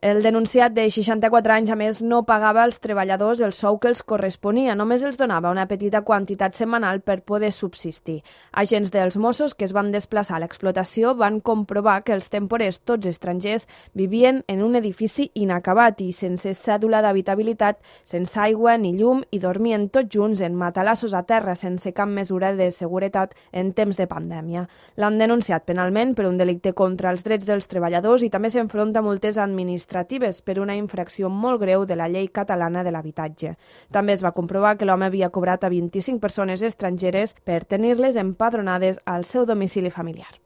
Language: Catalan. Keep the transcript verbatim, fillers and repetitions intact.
El denunciat de seixanta-quatre anys, a més, no pagava als treballadors el sou que els corresponia, només els donava una petita quantitat setmanal per poder subsistir. Agents dels Mossos que es van desplaçar a l'explotació van comprovar que els temporers, tots estrangers, vivien en un edifici inacabat i sense cèdula d'habitabilitat, sense aigua ni llum i dormien tots junts en matalassos a terra sense cap mesura de seguretat en temps de pandèmia. L'han denunciat penalment per un delicte contra els drets dels treballadors i també s'enfronta a multes administratives per una infracció molt greu de la llei catalana de l'habitatge. També es va comprovar que l'home havia cobrat a vint-i-cinc persones estrangeres per tenir-les empadronades al seu domicili familiar.